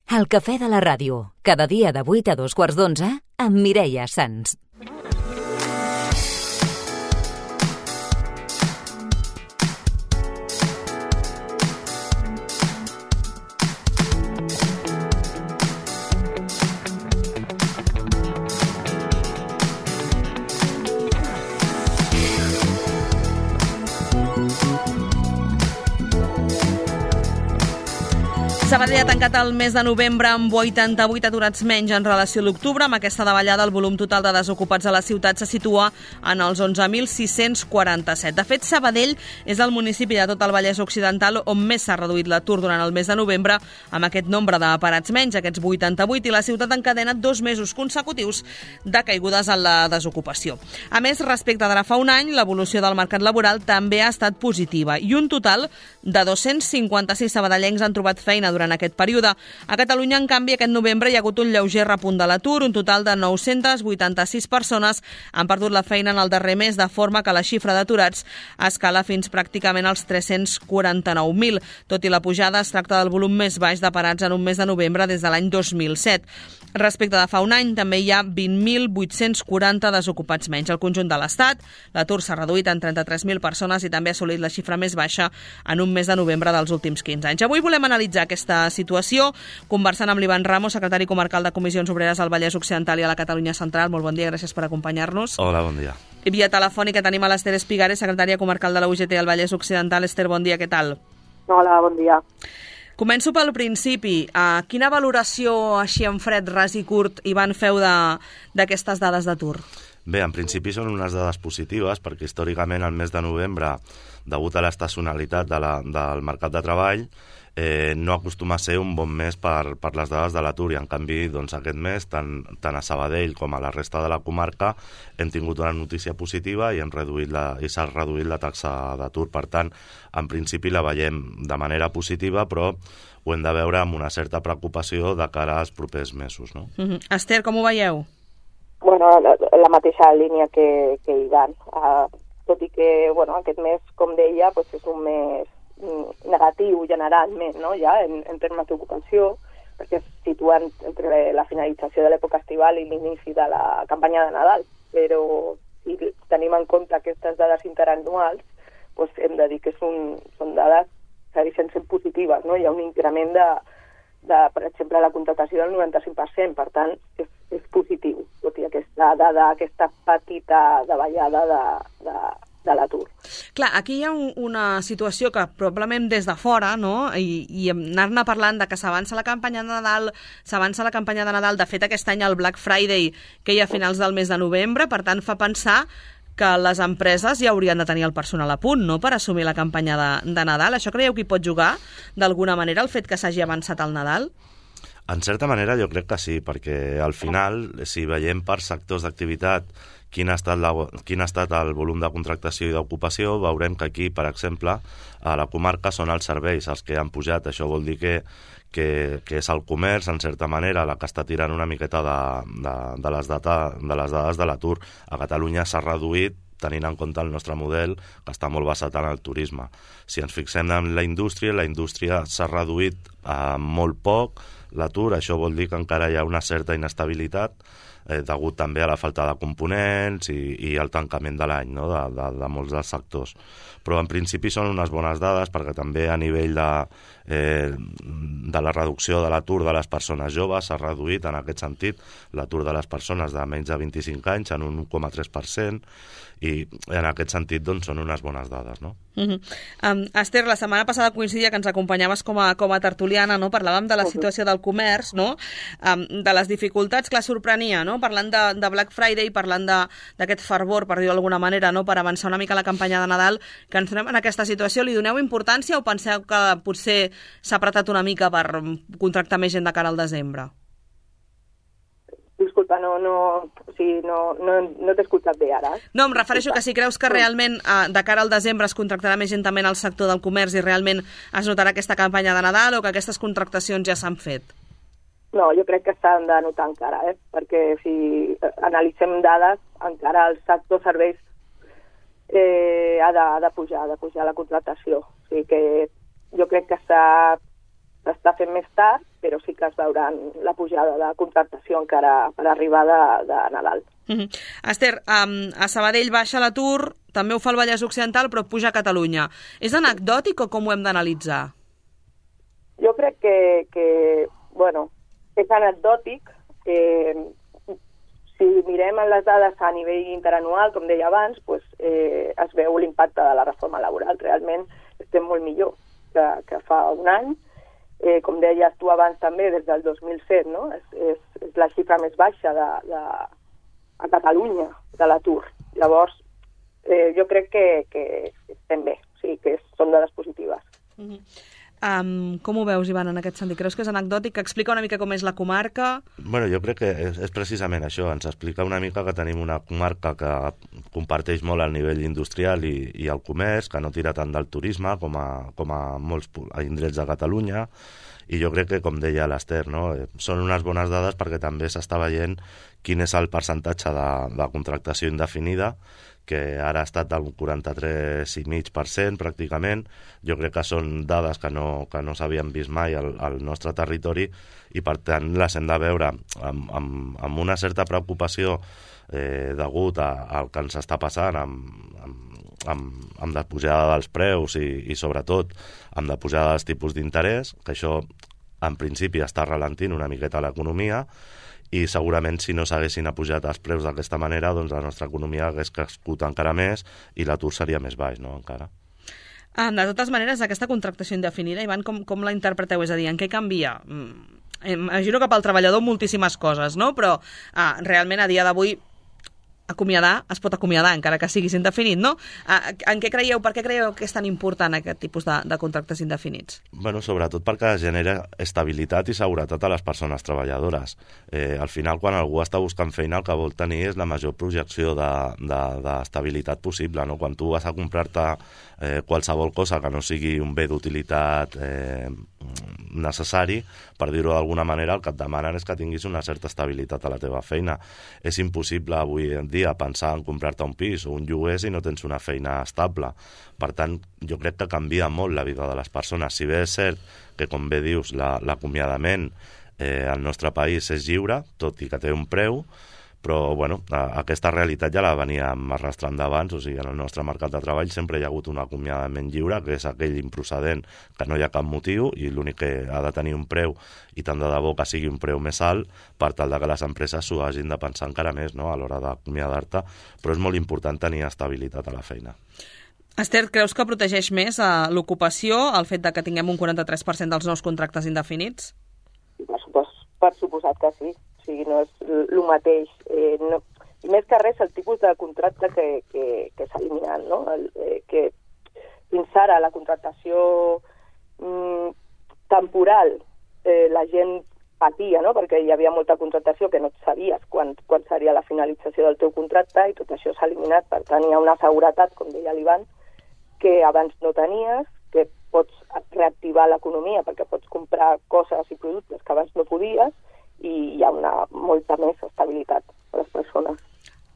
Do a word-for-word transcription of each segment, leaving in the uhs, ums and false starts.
El cafè de la ràdio, cada dia de vuit a dos quarts d'onze, amb Mireia Sans. Sabadell ha tancat el mes de novembre amb vuitanta-vuit aturats menys en relació a l'octubre. Amb aquesta davallada, el volum total de desocupats a la ciutat se situa en els onze mil sis-cents quaranta-set. De fet, Sabadell és el municipi de tot el Vallès Occidental on més s'ha reduït l'atur durant el mes de novembre, amb aquest nombre de parats menys, aquests vuitanta-vuit, i la ciutat encadena dos mesos consecutius de caigudes en la desocupació. A més, respecte d'ara fa un any, l'evolució del mercat laboral també ha estat positiva i un total de dos-cents cinquanta-sis sabadellencs han trobat feina durant aquest període. A Catalunya, en canvi, aquest novembre hi ha hagut un lleuger repunt de l'atur. Un total de nou-centes vuitanta-sis persones han perdut la feina en el darrer mes, de forma que la xifra d'aturats escala fins pràcticament als tres-cents quaranta-nou mil. Tot i la pujada, es tracta del volum més baix de parats en un mes de novembre des de l'any dos mil set. Respecte de fa un any, també hi ha vint mil vuit-cents quaranta desocupats menys. Al conjunt de l'Estat, l'atur s'ha reduït en trenta-tres mil persones i també ha assolit la xifra més baixa en un mes de novembre dels últims quinze anys. Avui volem analitzar aquesta situació, conversant amb l'Ivan Ramos, secretari comarcal de Comissions Obreres al Vallès Occidental i a la Catalunya Central. Molt bon dia, gràcies per acompanyar-nos. Hola, bon dia. I via telefònica tenim a l'Ester Espigares, secretària comarcal de la U G T al Vallès Occidental. Ester, bon dia, què tal? Hola, bon dia. Començo pel principi. Uh, quina valoració, així en fred, ras i curt, Ivan, feu d'aquestes dades d'atur? Bé, en principi són unes dades positives, perquè històricament el mes de novembre, degut a l'estacionalitat de la, del mercat de treball, eh, no acostuma a ser un bon mes per, per les dades de l'atur, i en canvi doncs, aquest mes, tant, tant a Sabadell com a la resta de la comarca, hem tingut una notícia positiva i hem reduït la, i s'ha reduït la taxa d'atur. Per tant, en principi la veiem de manera positiva, però ho hem de veure amb una certa preocupació de cara als propers mesos. No? Mm-hmm. Ester, com ho veieu? Bueno, la, la mateixa línia que, que Ivan. Uh, tot i que bueno, aquest mes, com deia, pues és un mes negatiu generalment, no? Ja en, en termes d'ocupació, perquè es situen entre la finalització de l'època estival i l'inici de la campanya de Nadal. Però si tenim en compte aquestes dades interanuals, pues hem de dir que són, són dades que segueixen sent positives, no? Hi ha un increment de, de, per exemple, la contractació del noranta-cinc per cent, per tant, és, és positiu, tot i aquesta dada, aquesta petita davallada de, de, de l'atur. Clar, aquí hi ha un, una situació que probablement des de fora, no?, i, i anar-ne parlant de que s'avança la campanya de Nadal, s'avança la campanya de Nadal, de fet aquest any el Black Friday, que hi ha a finals del mes de novembre, per tant fa pensar que les empreses ja haurien de tenir el personal a punt, no?, per assumir la campanya de, de Nadal. Això creieu que hi pot jugar, d'alguna manera, el fet que s'hagi avançat al Nadal? En certa manera jo crec que sí, perquè al final, si veiem per sectors d'activitat quin ha estat, la, quin ha estat el volum de contractació i d'ocupació, veurem que aquí, per exemple, a la comarca són els serveis els que han pujat. Això vol dir que, que, que és el comerç, en certa manera, la que està tirant una miqueta de, de, de, les, data, de les dades de l'atur. A Catalunya s'ha reduït, tenint en compte el nostre model, que està molt basat en el turisme. Si ens fixem en la indústria, la indústria s'ha reduït eh, molt poc l'atur. Això vol dir que encara hi ha una certa inestabilitat, eh, degut també a la falta de components i, i al tancament de l'any, no?, de, de, de molts dels sectors. Però en principi són unes bones dades, perquè també a nivell de, eh, de la reducció de l'atur de les persones joves s'ha reduït en aquest sentit l'atur de les persones de menys de vint-i-cinc anys en un un coma tres per cent, i en aquest sentit doncs, són unes bones dades, no? Uh-huh. um, Ester, la setmana passada coincidia que ens acompanyaves com a, com a tertuliana, no? Parlàvem de la situació del comerç, no? Um, de les dificultats que la sorprenia, no? Parlant de, de Black Friday, parlant d'aquest fervor, per dir-ho d'alguna manera, no?, per avançar una mica la campanya de Nadal, que ens trobem en aquesta situació. Li doneu importància o penseu que potser s'ha apretat una mica per contractar més gent de cara al desembre? Disculpa, no, no, o sigui, no, no, no t'he escoltat bé ara. No, em refereixo que si creus que realment eh, de cara al desembre es contractarà més gent també en el sector del comerç i realment es notarà aquesta campanya de Nadal, o que aquestes contractacions ja s'han fet? No, jo crec que s'han de notar encara, eh? Perquè si analitzem dades, encara el sector serveis eh, ha, de, ha de pujar, ha de pujar la contractació. O sigui que jo crec que s'està fent més tard, però sí que es veuran la pujada de contractació encara per arribar de, de Nadal. Mm-hmm. Esther, um, a Sabadell baixa l'atur, també ho fa el Vallès Occidental, però puja a Catalunya. És anecdòtic o com ho hem d'analitzar? Jo crec que, que bueno, és anecdòtic. Eh, si mirem les dades a nivell interanual, com deia abans, pues, eh, es veu l'impacte de la reforma laboral. Realment estem molt millor que, que fa un any. Eh, com deies tu abans també, des del dos mil set, no? és, és, és la xifra més baixa de, de, a Catalunya de l'atur. Llavors, eh, jo crec que, que estem bé, o sigui, que són dades positives. Mm-hmm. Um, com ho veus, Ivan, en aquest sentit? Creus que és anecdòtic? Que explica una mica com és la comarca? Bueno, jo crec que és, és precisament això. Ens explica una mica que tenim una comarca que comparteix molt el nivell industrial i, i el comerç, que no tira tant del turisme com a, com a molts indrets de Catalunya, i jo crec que, com deia l'Ester, no? Són unes bones dades perquè també s'està veient quin és el percentatge de, de contractació indefinida, que ara ha estat del quaranta-tres coma cinc per cent pràcticament. Jo crec que són dades que no, que no s'havien vist mai al, al nostre territori i, per tant, les hem de veure amb, amb, amb una certa preocupació eh, degut a, al que ens està passant amb, amb, amb, amb la pujada dels preus i, i, sobretot, amb la pujada dels tipus d'interès, que això, en principi, està ralentint una miqueta l'economia, i segurament si no s'haguessin apujat els preus d'aquesta manera, doncs la nostra economia hagués crescut encara més i l'atur seria més baix, no?, encara. Ah, de totes maneres, aquesta contractació indefinida, Ivan, com, com la interpreteu? És a dir, en què canvia? Mm, imagino que pel treballador moltíssimes coses, no? Però ah, realment a dia d'avui acomiadar es pot acomiadar, encara que siguis indefinit, no? En què creieu, per què creieu que és tan important aquest tipus de, de contractes indefinits? Bueno, sobretot perquè genera estabilitat i seguretat a les persones treballadores. Eh, al final, quan algú està buscant feina, el que vol tenir és la major projecció d'estabilitat de, de, possible, no? Quan tu vas a comprar-te eh, qualsevol cosa que no sigui un bé d'utilitat eh, necessari, per dir-ho d'alguna manera, el que et demanen és que tinguis una certa estabilitat a la teva feina. És impossible avui en dia pensar en comprar-te un pis o un lloguer si no tens una feina estable. Per tant, jo crec que canvia molt la vida de les persones. Si bé és cert que, com bé dius, l'acomiadament eh, al nostre país és lliure, tot i que té un preu, però bueno, aquesta realitat ja la veníem arrastrant d'abans, o sigui, en el nostre mercat de treball sempre hi ha hagut un acomiadament lliure, que és aquell improcedent que no hi ha cap motiu i l'únic que ha de tenir un preu, i tant de debò que sigui un preu més alt, per tal de que les empreses s'ho hagin de pensar encara més, no?, a l'hora d'acomiadar-te, però és molt important tenir estabilitat a la feina. Esther, creus que protegeix més a l'ocupació el fet de que tinguem un quaranta-tres per cent dels nous contractes indefinits? Per, supos, per suposat que sí. O sigui, no és el mateix. Eh, no, I més que res, el tipus de contracte que, que, que s'ha eliminat, no? El, eh, que fins ara la contractació mm, temporal, eh, la gent patia, no?, perquè hi havia molta contractació que no sabies quan, quan seria la finalització del teu contracte, i tot això s'ha eliminat. Per tant, hi ha una seguretat, com deia l'Ivan, que abans no tenies, que pots reactivar l'economia perquè pots comprar coses i productes que abans no podies, i hi ha una molta més estabilitat a les persones.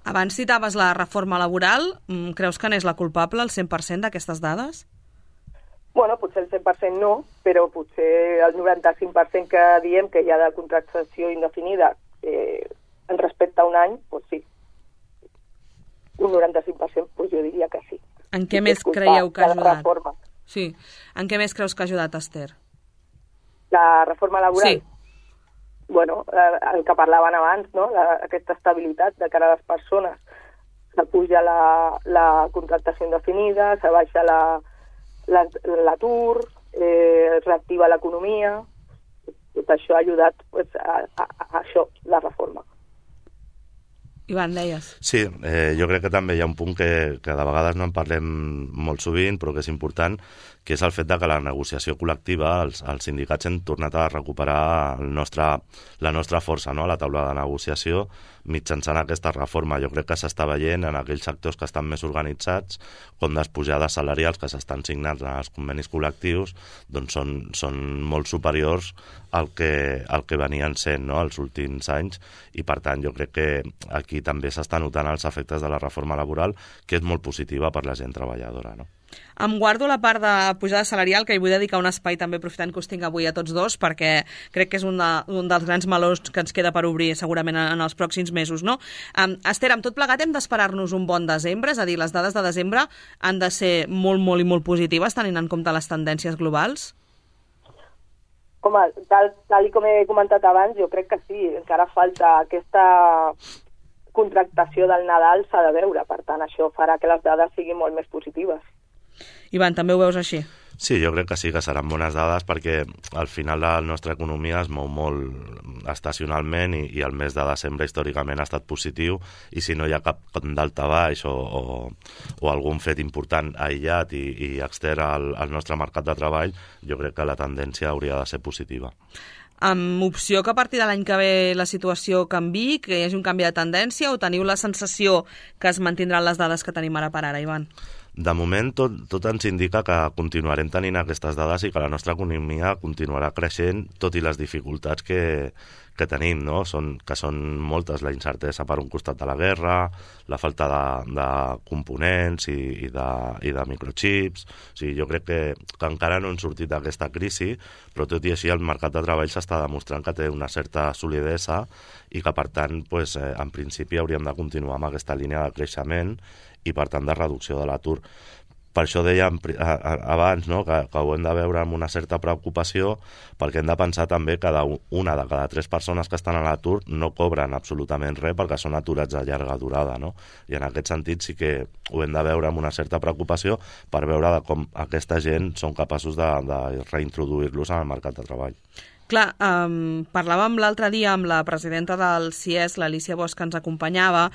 Abans citaves la reforma laboral. Creus que n'és la culpable, el cent per cent d'aquestes dades? Bueno, potser el cent per cent no, però potser el noranta-cinc per cent que diem que hi ha de contractació indefinida eh, en respecte a un any, doncs sí. Un noranta-cinc per cent, doncs jo diria que sí. En què més creieu que ha ajudat? Reforma. Sí. En què més creus que ha ajudat, Esther? La reforma laboral? Sí. Bueno, el que parlaven abans, no?, la, aquesta estabilitat de cara a les persones. S'apuja la, la contractació indefinida, se baixa l'atur, la, eh, es reactiva l'economia. Tot això ha ajudat pues, a, a, a això, la reforma. Ivan, deies. Sí, eh, jo crec que també hi ha un punt que, que de vegades no en parlem molt sovint, però que és important, que és el fet de que la negociació col·lectiva, els, els sindicats hem tornat a recuperar el nostre, la nostra força, no?, a la taula de negociació mitjançant aquesta reforma. Jo crec que s'està veient en aquells sectors que estan més organitzats com les pujades salarials que s'estan signant en els convenis col·lectius doncs són, són molt superiors al que, al que venien sent, no?, els últims anys, i per tant jo crec que aquí també s'està notant els efectes de la reforma laboral, que és molt positiva per la gent treballadora, no? Em guardo la part de pujada salarial, que hi vull dedicar un espai també, aprofitant que us tinc avui a tots dos, perquè crec que és un, de, un dels grans melons que ens queda per obrir segurament en, en els pròxims mesos, no? Um, Esther, amb tot plegat hem d'esperar-nos un bon desembre, és a dir, les dades de desembre han de ser molt, molt i molt positives, tenint en compte les tendències globals? Home, tal, tal i com he comentat abans, jo crec que sí, encara falta aquesta contractació del Nadal, s'ha de veure, per tant, això farà que les dades siguin molt més positives. Ivan, també ho veus així? Sí, jo crec que sí que seran bones dades perquè al final la nostra economia es mou molt estacionalment i, i el mes de desembre històricament ha estat positiu i si no hi ha cap daltabaix o, o, o algun fet important aïllat i, i extern al, al nostre mercat de treball, jo crec que la tendència hauria de ser positiva. Amb opció que a partir de l'any que ve la situació canvi, que hi hagi un canvi de tendència, o teniu la sensació que es mantindran les dades que tenim ara per ara, Ivan? De moment, tot, tot ens indica que continuarem tenint aquestes dades i que la nostra economia continuarà creixent, tot i les dificultats que, que tenim, no? Són, que són moltes, la incertesa per un costat de la guerra, la falta de, de components i, i, de, i de microchips. O sigui, jo crec que, que encara no hem sortit d'aquesta crisi, però tot i així el mercat de treball s'està demostrant que té una certa solidesa i que, per tant, pues, eh, en principi hauríem de continuar amb aquesta línia de creixement i, per tant, de reducció de l'atur. Per això dèiem abans, no?, que, que ho hem de veure amb una certa preocupació perquè hem de pensar també que una de cada tres persones que estan a l'atur no cobren absolutament res perquè són aturats de llarga durada, no? I en aquest sentit sí que ho hem de veure amb una certa preocupació per veure de com aquesta gent són capaços de, de reintroduir-los en el mercat de treball. Clar, um, parlàvem l'altre dia amb la presidenta del C I E S, l'Alicia Bosch, que ens acompanyava,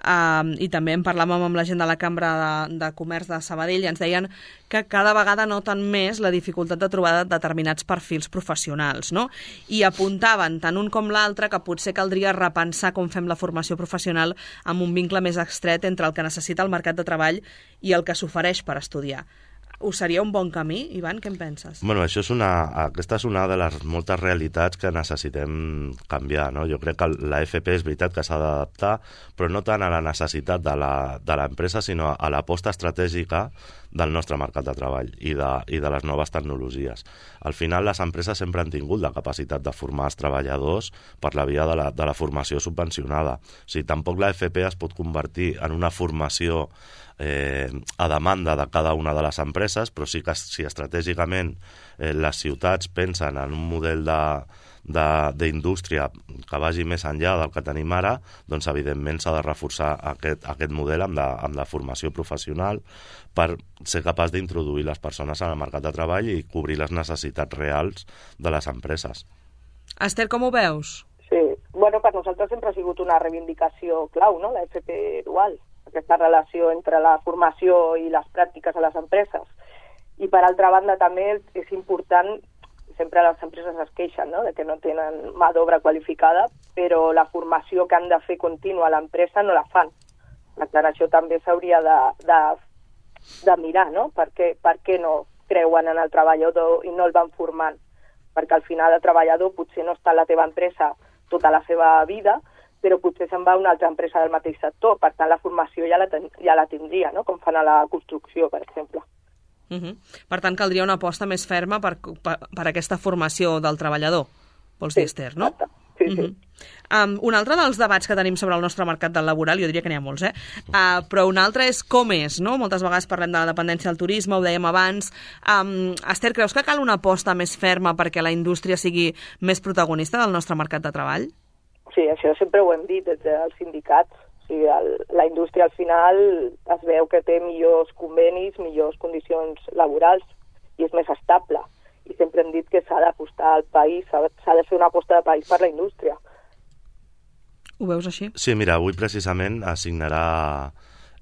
um, i també en parlàvem amb la gent de la Cambra de, de Comerç de Sabadell, i ens deien que cada vegada noten més la dificultat de trobar determinats perfils professionals, no? I apuntaven, tant un com l'altre, que potser caldria repensar com fem la formació professional amb un vincle més estret entre el que necessita el mercat de treball i el que s'ofereix per estudiar. Us seria un bon camí, Ivan? Què en penses? Bueno, això és una, aquesta és una de les moltes realitats que necessitem canviar, no? Jo crec que la F P és veritat que s'ha d'adaptar, però no tant a la necessitat de l'empresa, sinó a l'aposta estratègica del nostre mercat de treball i de, i de les noves tecnologies. Al final, les empreses sempre han tingut la capacitat de formar els treballadors per la via de la, de la formació subvencionada. O sigui, tampoc la F P es pot convertir en una formació Eh, a demanda de cada una de les empreses, però sí que si estratègicament eh, les ciutats pensen en un model d'indústria que vagi més enllà del que tenim ara, doncs evidentment s'ha de reforçar aquest, aquest model amb la, amb la formació professional per ser capaç d'introduir les persones en el mercat de treball i cobrir les necessitats reals de les empreses. Esther, com ho veus? Sí, bueno, per nosaltres sempre ha sigut una reivindicació clau, no?, la F P dual, aquesta relació entre la formació i les pràctiques a les empreses. I per altra banda també és important, sempre les empreses es queixen, no?, de que no tenen mà d'obra qualificada, però la formació que han de fer contínua a l'empresa no la fan. Per tant, això també s'hauria de, de, de mirar, no?, per què, per què no creuen en el treballador i no el van formant. Perquè al final el treballador potser no està a la teva empresa tota la seva vida, però potser se'n va a una altra empresa del mateix sector. Per tant, la formació ja la, ten, ja la tindria, no?, com fan a la construcció, per exemple. Uh -huh. Per tant, caldria una aposta més ferma per, per, per aquesta formació del treballador, vols dir, sí, Esther, no? Exacte. Sí, sí. Uh -huh. um, un altre dels debats que tenim sobre el nostre mercat del laboral, jo diria que n'hi ha molts, eh? Uh, però un altre és com és, no? Moltes vegades parlem de la dependència del turisme, ho dèiem abans. Um, Esther, creus que cal una aposta més ferma perquè la indústria sigui més protagonista del nostre mercat de treball? Sí, això sempre ho hem dit des dels sindicats. O sigui, el, la indústria al final es veu que té millors convenis, millors condicions laborals i és més estable. I sempre hem dit que s'ha d'apostar al país, s'ha de fer una aposta de país per la indústria. Ho veus així? Sí, mira, avui precisament assignarà,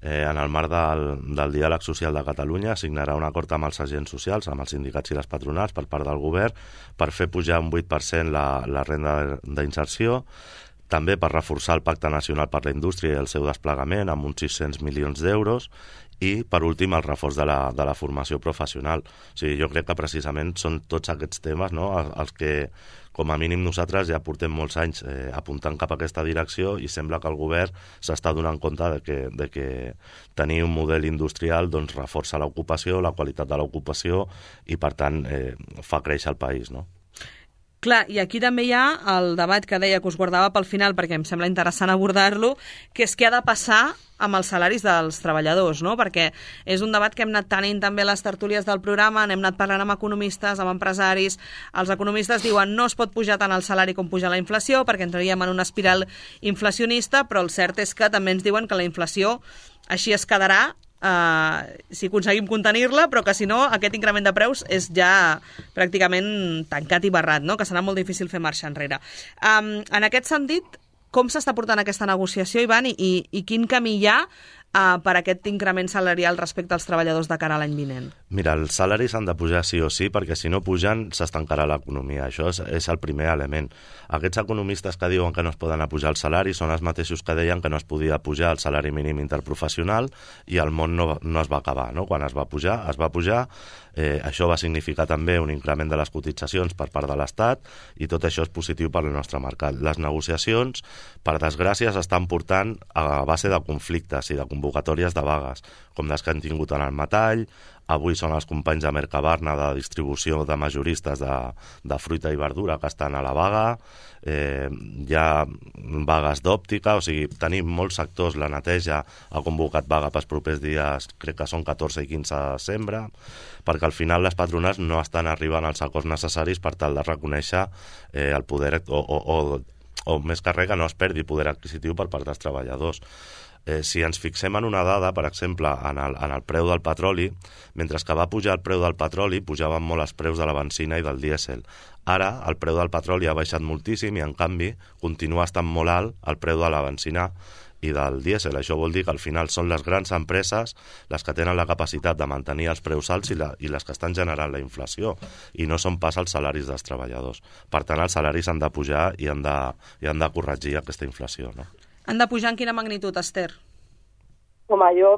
eh, en el marc del, del Diàleg Social de Catalunya, assignarà un acord amb els agents socials, amb els sindicats i les patronals per part del govern, per fer pujar un vuit per cent la, la renda d'inserció, també per reforçar el Pacte Nacional per la Indústria i el seu desplegament amb uns sis-cents milions d'euros i, per últim, el reforç de la, de la formació professional. O sigui, jo crec que precisament són tots aquests temes, no?, els que com a mínim nosaltres ja portem molts anys eh, apuntant cap a aquesta direcció i sembla que el govern s'està donant compte de que, de que tenir un model industrial doncs, reforça l'ocupació, la qualitat de l'ocupació i, per tant, eh, fa créixer el país, no? Clar, i aquí també hi ha el debat que deia que us guardava pel final, perquè em sembla interessant abordar-lo, que és què ha de passar amb els salaris dels treballadors, no? Perquè és un debat que hem anat tenint també a les tertúlies del programa, n'hem anat parlant amb economistes, amb empresaris. Els economistes diuen no es pot pujar tant el salari com pujar la inflació, perquè entraríem en una espiral inflacionista, però el cert és que també ens diuen que la inflació així es quedarà, Uh, si aconseguim contenir-la, però que si no aquest increment de preus és ja pràcticament tancat i barrat, no? Que serà molt difícil fer marxa enrere. Um, en aquest sentit, com s'està portant aquesta negociació, Ivan, i, i, i quin camí hi ha uh, per aquest increment salarial respecte als treballadors de cara a l'any vinent? Mira, els salaris han de pujar sí o sí, perquè si no pugen s'estancarà l'economia. Això és, és el primer element. Aquests economistes que diuen que no es poden apujar els salaris són els mateixos que deien que no es podia pujar el salari mínim interprofessional i el món no, no es va acabar, no? Quan es va pujar, es va pujar. Eh, això va significar també un increment de les cotitzacions per part de l'Estat i tot això és positiu per al nostre mercat. Les negociacions, per desgràcia, s'estan portant a base de conflictes i de convocatòries de vagues, com les que han tingut en el metall. Avui són els companys de Mercabarna de distribució de majoristes de, de fruita i verdura que estan a la vaga. Eh, hi ha vagues d'òptica, o sigui, tenim molts sectors. La neteja ha convocat vaga pels propers dies, crec que són catorze i quinze de desembre, perquè al final les patronals no estan arribant als acords necessaris per tal de reconèixer eh, el poder, o, o, o, o més que res que no es perdi poder adquisitiu per part dels treballadors. Eh, si ens fixem en una dada, per exemple, en el, en el preu del petroli, mentre que va pujar el preu del petroli, pujaven molt els preus de la benzina i del dièsel. Ara, el preu del petroli ha baixat moltíssim i, en canvi, continua estant molt alt el preu de la benzina i del dièsel. Això vol dir que al final són les grans empreses les que tenen la capacitat de mantenir els preus alts i, la, i les que estan generant la inflació, i no són pas els salaris dels treballadors. Per tant, els salaris han de pujar i han de, i han de corregir aquesta inflació, no? Han de pujar en quina magnitud, Esther? Home, jo,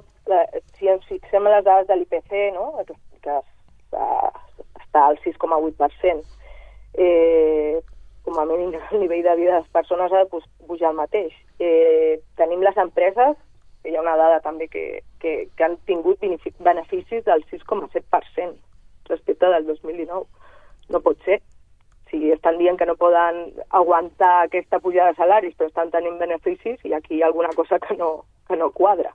si ens fixem en les dades de l'I P C, no? que, que està, està al sis coma vuit per cent, eh, com a mínim el nivell de vida de les persones ha de pujar el mateix. Eh, tenim les empreses, que hi ha una dada també que, que, que han tingut beneficis del sis coma set per cent respecte del dos mil dinou. No pot ser. Si estan dient que no poden aguantar aquesta pujada de salaris, però estan tenint beneficis, i aquí hi ha alguna cosa que no, que no quadra.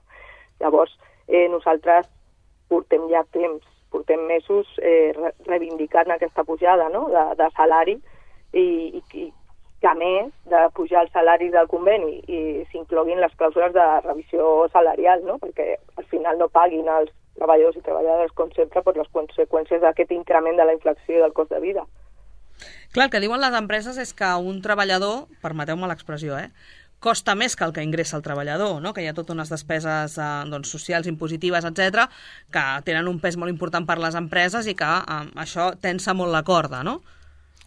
Llavors, eh, nosaltres portem ja temps, portem mesos eh, reivindicant aquesta pujada, no?, de, de salari, i, i, i que a més de pujar els salaris del conveni i s'incloguin les clàusules de revisió salarial, no?, perquè al final no paguin els treballadors i treballadores, com sempre, per les conseqüències d'aquest increment de la inflació i del cost de vida. Clar, el que diuen les empreses és que un treballador, permeteu-me l'expressió, eh, costa més que el que ingressa el treballador, no? Que hi ha totes unes despeses eh, doncs, socials, impositives, etcètera, que tenen un pes molt important per les empreses i que eh, això tensa molt la corda, no?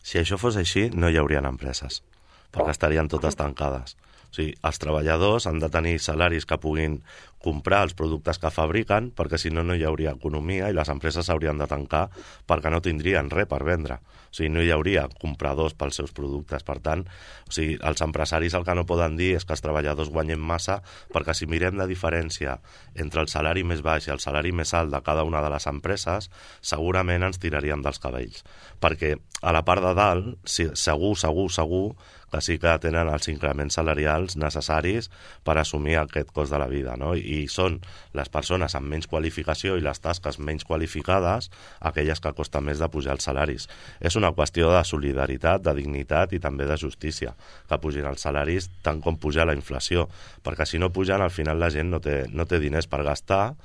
Si això fos així, no hi haurien empreses, perquè estarien totes tancades. O sigui, els treballadors han de tenir salaris que puguin comprar els productes que fabriquen, perquè si no, no hi hauria economia i les empreses s'haurien de tancar perquè no tindrien res per vendre. O sigui, no hi hauria compradors pels seus productes. Per tant, o sigui, els empresaris el que no poden dir és que els treballadors guanyen massa, perquè si mirem la diferència entre el salari més baix i el salari més alt de cada una de les empreses, segurament ens tiraríem dels cabells. Perquè a la part de dalt, segur, segur, segur, que sí que tenen els increments salarials necessaris per assumir aquest cost de la vida, no? I són les persones amb menys qualificació i les tasques menys qualificades aquelles que costa més de pujar els salaris. És una qüestió de solidaritat, de dignitat i també de justícia, que pugin els salaris tant com puja la inflació, perquè si no pugen, al final la gent no té, no té diners per gastar,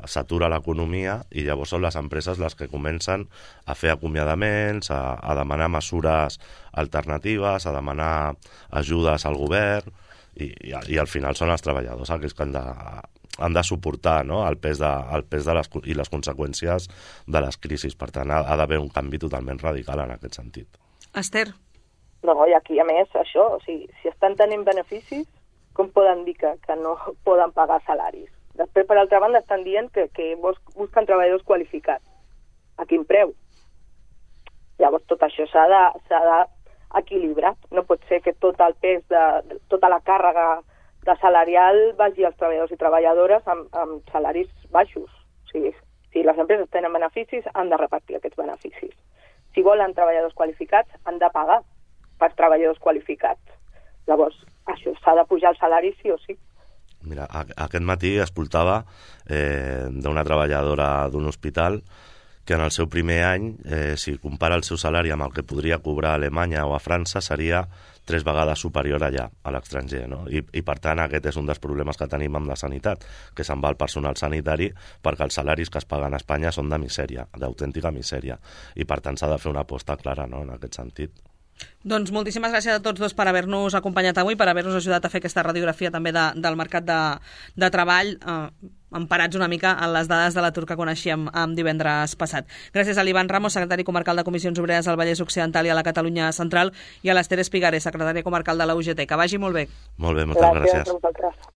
s'atura l'economia i llavors són les empreses les que comencen a fer acomiadaments, a, a demanar mesures alternatives, a demanar ajudes al govern i, i, i al final són els treballadors aquells que han de, han de suportar, no?, el pes, de, el pes de les, i les conseqüències de les crisis. Per tant, ha, ha d'haver un canvi totalment radical en aquest sentit. Esther? No, i aquí a més això, o sigui, si estan tenint beneficis, com poden dir que, que no poden pagar salaris? Després, per altra banda, estan dient que, que busquen treballadors qualificats. A quin preu? Llavors, tot això s'ha de, s'ha de equilibrat. No pot ser que tot el pes, de, tota la càrrega de salarial vagi als treballadors i treballadores amb, amb salaris baixos. O sigui, si les empreses tenen beneficis, han de repartir aquests beneficis. Si volen treballadors qualificats, han de pagar per treballadors qualificats. Llavors, això s'ha de pujar el salari sí o sí. Mira, aquest matí escoltava eh, d'una treballadora d'un hospital que en el seu primer any, eh, si compara el seu salari amb el que podria cobrar a Alemanya o a França, seria tres vegades superior allà, a l'estranger, no? I, I, per tant, aquest és un dels problemes que tenim amb la sanitat, que se'n va el personal sanitari perquè els salaris que es paguen a Espanya són de misèria, d'autèntica misèria. I, per tant, s'ha de fer una aposta clara, no?, en aquest sentit. Doncs moltíssimes gràcies a tots dos per haver-nos acompanyat avui, per haver-nos ajudat a fer aquesta radiografia també de, del mercat de, de treball, eh, emparats una mica en les dades de l'atur que coneixíem eh, divendres passat. Gràcies a l'Ivan Ramos, secretari comarcal de Comissions Obreres al Vallès Occidental i a la Catalunya Central, i a l'Ester Espigares, secretària comarcal de la U G T. Que vagi molt bé. Molt bé, moltes gràcies. gràcies.